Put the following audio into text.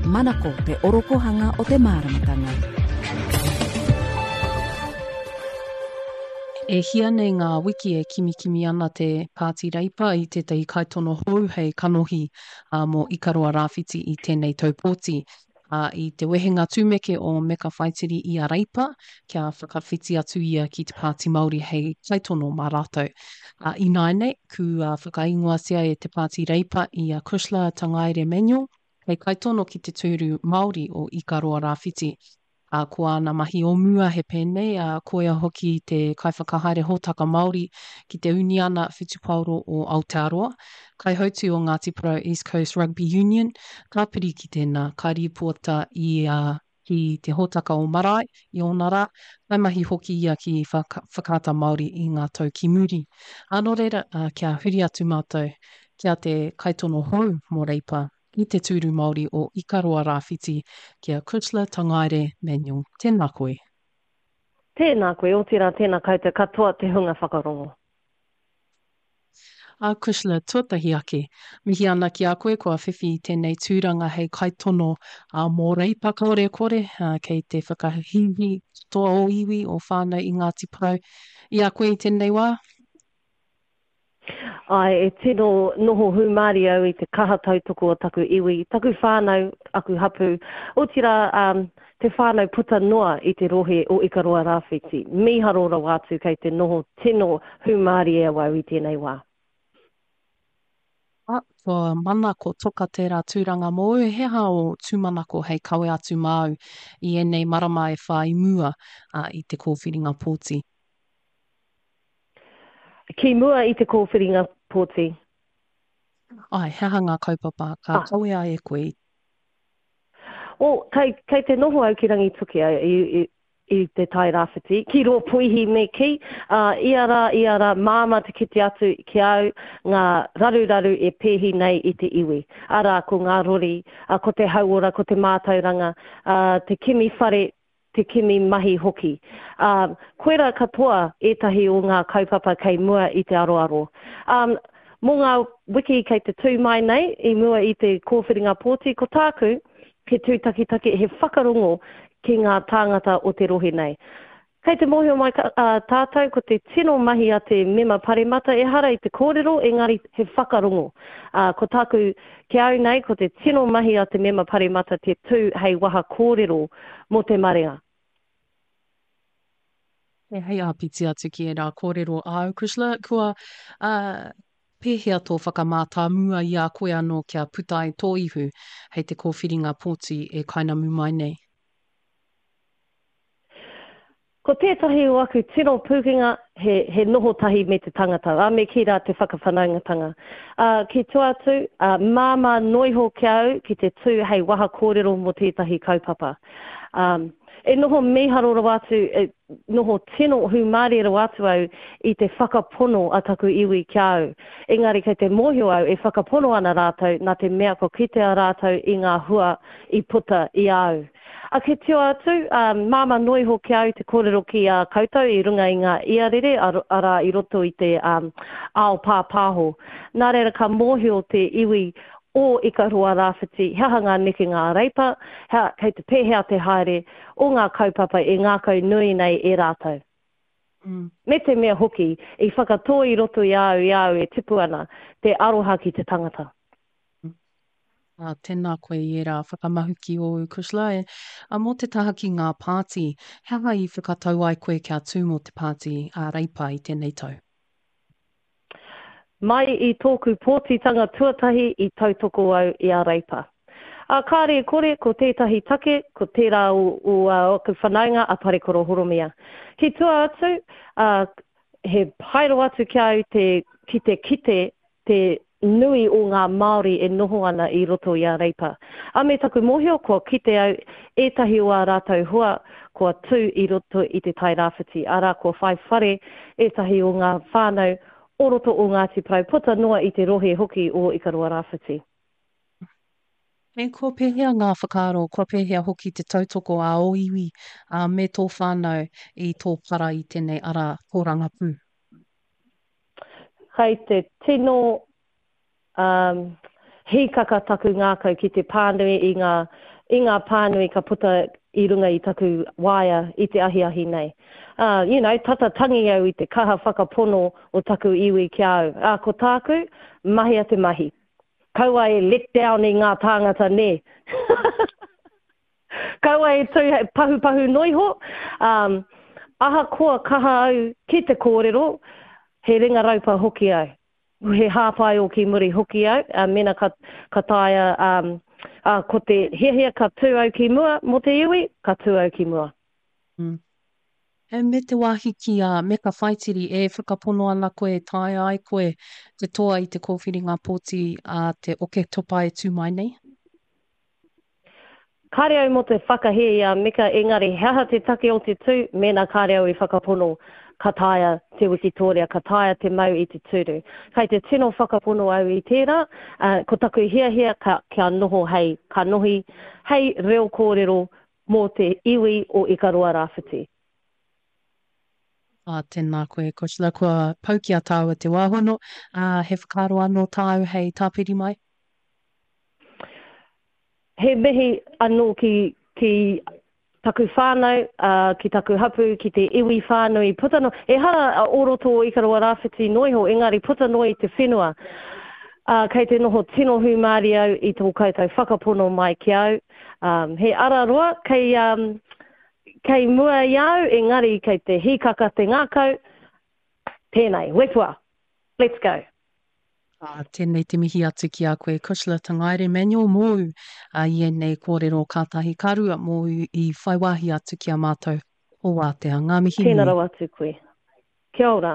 Manako te orokohanga o te māramatanga. E hia nei ngā wiki e kimikimi ana te Pāti Reipa i tētahi kaitono hou hei kanohi mō Ikaroa Rāwhiti i tēnei tau pōti. Ā, i te wehenga tumeke o Meka Whaitiri i a Reipa kia whakawhiti atu ia ki te Pāti Māori hei kaitono mā rātou. Ā, ināianei, kua whakaingoatia e te Pāti Reipa i a Cushla Tangaere Manuel hei kaitono ki te tūru Māori o Ikaroa Rāwhiti. Ā, ko āna mahi o mua he pēnei, ā, koia hoki te kaiwhakahaere hōtaka Māori ki te Uniana Whutupaoro o Aotearoa, kaihautū o Ngāti Porou East Coast Rugby Union, tāpiri ki tēnā, ka rīpoata ia ki te hōtaka o Marae i ōna rā, kaimahi hoki ia ki Whakaata Māori i ngā tau ki muri. Ā, nō reira, kia huri atu mātou ki a te kaitono hou mō Reipa, i te tūru Māori o Ikaroa Rāwhiti ki a Cushla Tangaere Manuel. Tēnā koe. Tēnā koe, otirā tēnā koutou katoa te hunga whakarongo. A Cushla, tuatahi ake, mihi ana ki a koe kua whiwhi i tēnei tūranga hei kaitono mō Reipa kāore e kore, kei te whakahīhī katoa o iwi, o whānau i Ngāti Porou i a koe i tēnei wā. Āe, e tino noho hūmārie au i te kaha tautoko o taku iwi, taku whānau, aku hapū, otirā, te whānau puta noa i te rohe o Ikaroa Rāwhiti. Mīharo rawa atu kei te noho tino hūmārie awau i tēnei wā. A, kua mana ko Toka tērā tūranga mōu, he aha ō tūmanako hei kawe atu māu i ēnei marama e whā i mua i te kōwhiringa pōti? Ki mua i te kōwhiringa pōti. Āe, he aha ngā kaupapa ka kawea e koe i. Well, kei, kei te noho au ki Rangitukia i, i, i te Tai Rāwhiti, ki rō puihi me kī, ā, ia rā, ia rā, māmā te kite atu ki a au ngā raruraru e pēhi nei i te iwi. Arā, ko ngā rori, ā, ko te hauora, ko te mātauranga, ā, te kimi whare, te kimi mahi hoki. Ā, koirā katoa ētahi o ngā kaupapa kei mua i te aroaro. Ā, mō ngā wiki kei te tū mai nei i mua i te kōwhiringa pōti, ko tāku, he tūtakitaki, he whakarongo ki ngā tāngata o te rohe nei. Kei te mōhio mai tātou ko te tino mahi a te mema paremata ehara i te kōrero engari he whakarongo. Ā, ko tāku ki a au nei ko te tino mahi a te mema paremata te tū hei waha kōrero mō te marea. E hei āpiti atu ki ērā kōrero āu, Cushla, kua, ā, pēhea tō whakamātāmua i a koe anō kia puta ai tō ihu hei te kōwhiringa pōti e kainamu mai nei? Ko tētahi o aku tino pūkenga he, he noho tahi me te tangata, ā, me kī rā te whakawhanaungatanga. Ā, ki tua atu, ā, māmā noa iho ki a au ki te tū hei waha kōrero mō tētahi kaupapa. Ā, e noho mīharo rawa atu, e noho tino hūmārie rawa atu au i te whakapono a taku iwi ki a au. Engari kei te mōhio au e whakapono ana rātou nā te mea kua kitea rātou i ngā hua i puta i a au. A ki tua atu, ā, māmā noa iho ki a au te kōrero ki a koutou i runga i ngā iarere, arā, i roto i te ao pāpāho. Nā reira ka mōhio te iwi o Ikaroa Rāwhiti he aha ngā nekenga a Reipa, he, kei te pēhea te haere o ngā kaupapa e ngākau nui nei e rātou. Me te mea hoki, i whakatō i roto i a au i a au e tipu ana, te aroha ki te tangata. Ā, tēnā koe i ērā whakamahuki ōu, Cushla. E, ā, mō te taha ki ngā pāti, he aha i whakatau ai koe kia tū mō te pāti a Reipa i tēnei tau? Mai i tōku pōtitanga tuatahi i tautoko au i a Reipa. Ā, kāre e kore, ko tētahi take, ko tērā o, o āku whanaunga a Parekoro Horomia. Ki tua atu, ā, he pai rawa atu ki a au te, ki te kite te nui o ngā Māori e noho ana i roto i a Reipa. A me taku mōhio kua kite au ētahi o ā rātou hua kua tū i roto i Te Tai Rāwhiti, arā kua whai whare ētahi o ngā whānau o roto o Ngāti Porou puta noa i te rohe hoki o Ikaroa Rāwhiti. Me kua pēhea ngā whakaaro, kua pēhea hoki te tautoko a ō iwi, ā, me tō whānau i tō para i tēnei ara tōrangapū? Kei te tino um, hīkaka taku ngākau ki te pānui i ngā i ngā pānui ka puta i runga i taku waea i te ahiahi nei. Ā, you know, tata tangi au i te kaha whakapono o taku iwi ki a au. Ā, ko tāku, mahia te mahi. Kaua e let down i ngā tāngata nē. Kaua e tū hei pahupahu noiho, ā, ahakoa kaha au ki te kōrero, he ringa raupa hoki au. He hāpai o ki muri hoki au, ā, mēnā ka, ka taea, ā, ā, ko te hiahia ka tū au ki mua mō te iwi, ka tū au ki mua. Mm. Me te wāhi ki a Meka Whaitiri, e whakapono ana koe e taea ai koe te toa i te kōwhiringa pōti a te Oketopa e tū mai nei? Kāre au mō te whakahē i a Meka engari he aha te take o te tū mēnā kāre au i whakapono ka taea te wikitōria, ka taea te mau i te tūru. Kei te tino whakapono au i tērā, ā, ko taku hiahia ka, kia noho hei kanohi, hei reo kōrero mō te iwi o Ikaroa Rāwhiti. Ā, tēnā koe, Cushla, kua pau ki a tāua te wā hono, ā, he whakaaro anō tāu hei tāpiri mai? He mihi anō ki, ki taku whānau, ā, ki taku hapū, ki te iwi whānui, puta noa, ehara o roto o Ikaroa Rāwhiti noa iho, engari puta noa i te whenua. Ā, kei te noho tino hūmārie au i tō koutou whakapono mai ki au. Ā, he ara roa kei, ā, kei mua i a au, engari kei te hīkaka te ngākau, tēnei, wepua! Let's go! Ā, tēnei te mihi atu ki a koe Cushla Tangaere Manuel mōu i ēnei kōrero kātahi ka rua mōu i whai wāhi atu ki a mātou o Wātea. Ngā mihi nui. Tēnā rawa atu koe. Kia ora.